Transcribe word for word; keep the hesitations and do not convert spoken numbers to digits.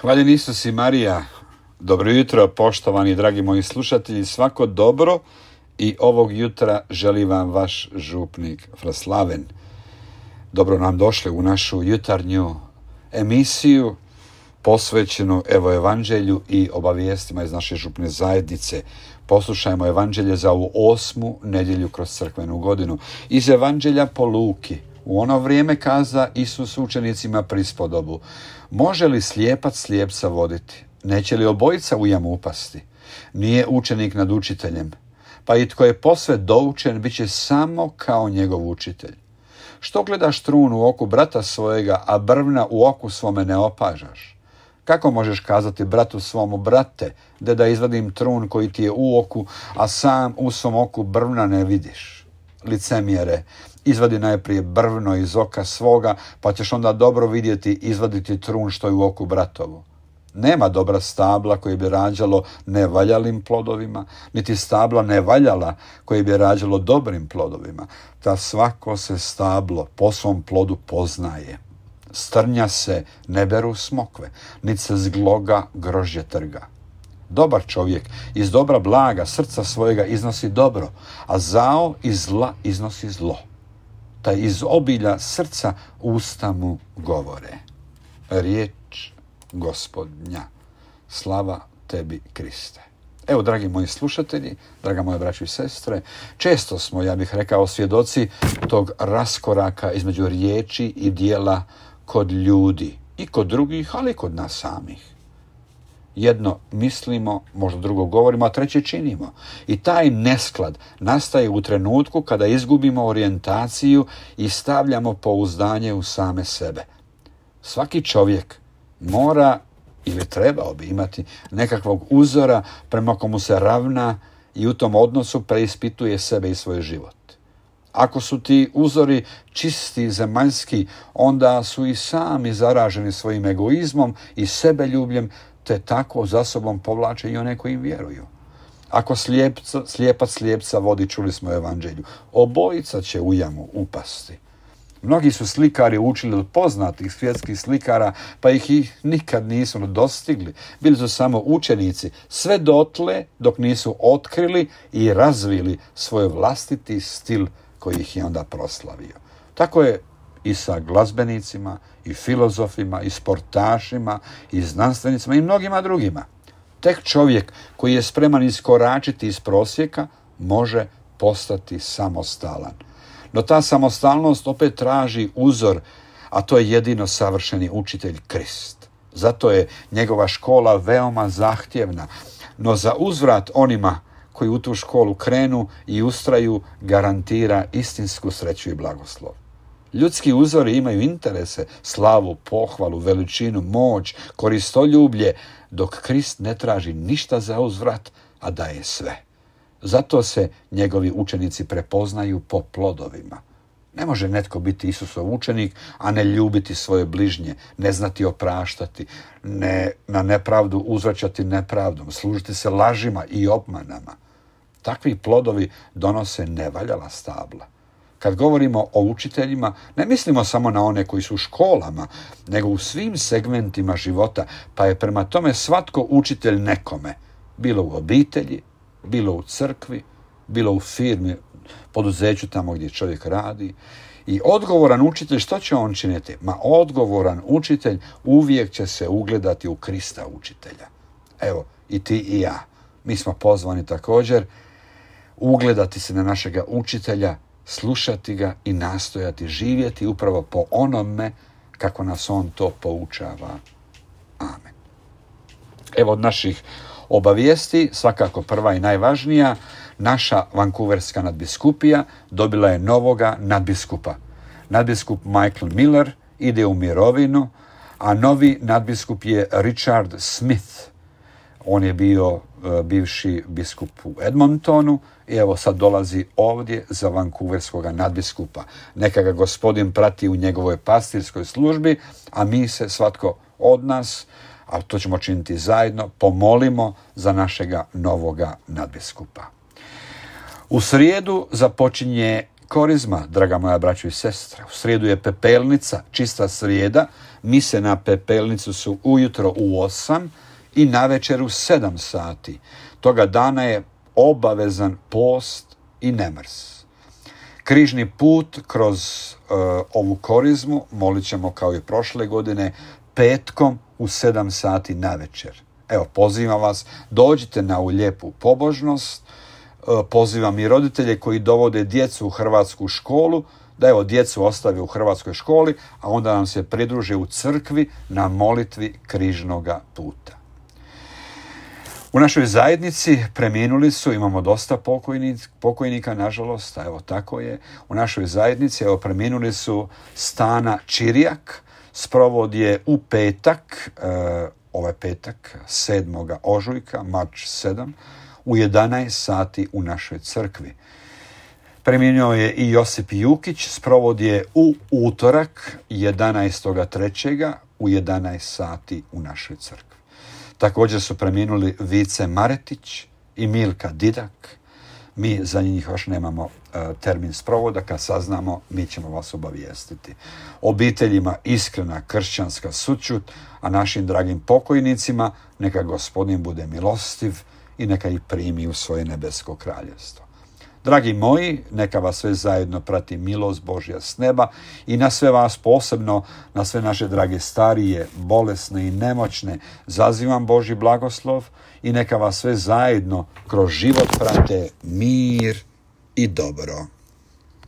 Hvaljen Isus i Marija. Dobro jutro, poštovani dragi moji slušatelji. Svako dobro i ovog jutra želi vam vaš župnik Fraslaven. Dobro nam došli u našu jutarnju emisiju posvećenu evo evanđelju i obavijestima iz naše župne zajednice. Poslušajmo evanđelje za ovu osmu nedjelju kroz crkvenu godinu. Iz evanđelja po Luki. U ono vrijeme kaza Isus učenicima prispodobu: može li slijepac slijepca voditi? Neće li obojica u jamu upasti? Nije učenik nad učiteljem, pa i tko je posve doučen bit će samo kao njegov učitelj. Što gledaš trun u oku brata svojega, a brvna u oku svome ne opažaš? Kako možeš kazati bratu svomu: brate, de da izvadim trun koji ti je u oku, a sam u svom oku brvna ne vidiš? Licemjere, izvadi najprije brvno iz oka svoga, pa ćeš onda dobro vidjeti izvaditi trun što je u oku bratovu. Nema dobra stabla koje bi rađalo nevaljalim plodovima, niti stabla nevaljala koje bi rađalo dobrim plodovima. Ta svako se stablo po svom plodu poznaje. Strnja se ne beru smokve, niti se zgloga grožđe trga. Dobar čovjek iz dobra blaga srca svojega iznosi dobro, a zao iz zla iznosi zlo. Taj iz obilja srca usta mu govore. Riječ Gospodnja. Slava tebi, Kriste. Evo, dragi moji slušatelji, draga moje braćo i sestre, često smo, ja bih rekao, svjedoci tog raskoraka između riječi i djela kod ljudi i kod drugih, ali i kod nas samih. Jedno mislimo, možda drugo govorimo, a treće činimo. I taj nesklad nastaje u trenutku kada izgubimo orijentaciju i stavljamo pouzdanje u same sebe. Svaki čovjek mora ili trebao bi imati nekakvog uzora prema komu se ravna i u tom odnosu preispituje sebe i svoj život. Ako su ti uzori čisti, zemaljski, onda su i sami zaraženi svojim egoizmom i sebeljubljem, te tako za sobom povlače i one koji im vjeruju. Ako slijepca, slijepac slijepca vodi, čuli smo u evanđelju, obojica će u jamu upasti. Mnogi su slikari učili od poznatih svjetskih slikara, pa ih i nikad nisu dostigli. Bili su samo učenici, sve dotle dok nisu otkrili i razvili svoj vlastiti stil koji ih je onda proslavio. Tako je i sa glazbenicima, i filozofima, i sportašima, i znanstvenicima, i mnogima drugima. Tek čovjek koji je spreman iskoračiti iz prosjeka može postati samostalan. No ta samostalnost opet traži uzor, a to je jedino savršeni učitelj Krist. Zato je njegova škola veoma zahtjevna, no za uzvrat onima koji u tu školu krenu i ustraju garantira istinsku sreću i blagoslov. Ljudski uzori imaju interese, slavu, pohvalu, veličinu, moć, koristoljublje, dok Krist ne traži ništa za uzvrat, a daje sve. Zato se njegovi učenici prepoznaju po plodovima. Ne može netko biti Isusov učenik, a ne ljubiti svoje bližnje, ne znati opraštati, ne na nepravdu uzvraćati nepravdom, služiti se lažima i obmanama. Takvi plodovi donose nevaljala stabla. Kad govorimo o učiteljima, ne mislimo samo na one koji su u školama, nego u svim segmentima života, pa je prema tome svatko učitelj nekome, bilo u obitelji, bilo u crkvi, bilo u firmi, poduzeću tamo gdje čovjek radi. I odgovoran učitelj, što će on činiti? Ma odgovoran učitelj uvijek će se ugledati u Krista učitelja. Evo, i ti i ja. Mi smo pozvani također ugledati se na našega učitelja, slušati ga i nastojati živjeti upravo po onome kako nas on to poučava. Amen. Evo od naših obavijesti, svakako prva i najvažnija, naša vankuverska nadbiskupija dobila je novoga nadbiskupa. Nadbiskup Michael Miller ide u mirovinu, a novi nadbiskup je Richard Smith. On je bio uh, bivši biskup u Edmontonu i evo sad dolazi ovdje za vankuverskoga nadbiskupa. Neka ga gospodin prati u njegovoj pastirskoj službi, a mi se svatko od nas, a to ćemo činiti zajedno, pomolimo za našega novoga nadbiskupa. U srijedu započinje korizma, draga moja braćo i sestre. U srijedu je pepelnica, čista srijeda. Mise na pepelnicu su ujutro u osam i navečer u sedam sati. Toga dana je obavezan post i nemrs. Križni put kroz uh, ovu korizmu molit ćemo kao i prošle godine petkom u sedam sati navečer. Evo, pozivam vas, dođite na ovu lijepu pobožnost. Uh, pozivam i roditelje koji dovode djecu u hrvatsku školu, da evo djecu ostave u hrvatskoj školi, a onda nam se pridruže u crkvi na molitvi križnoga puta. U našoj zajednici preminuli su, imamo dosta pokojnika, pokojnika, nažalost, a evo tako je. U našoj zajednici evo preminuli su Stana Čirijak, sprovod je u petak, e, ovaj petak, sedmoga ožujka, marč sedam, u jedanaest sati u našoj crkvi. Preminuo je i Josip Jukić, sprovod je u utorak, jedanaestog trećega u jedanaest sati u našoj crkvi. Također su preminuli Vice Maretić i Milka Didak. Mi za njih još nemamo uh, termin sprovoda, kad saznamo mi ćemo vas obavijestiti. Obiteljima iskrena kršćanska sućut, a našim dragim pokojnicima neka Gospodin bude milostiv i neka ih primi u svoje nebesko kraljevstvo. Dragi moji, neka vas sve zajedno prati milost Božja s neba i na sve vas posebno, na sve naše drage starije, bolesne i nemoćne, zazivam Božji blagoslov i neka vas sve zajedno kroz život prate mir i dobro.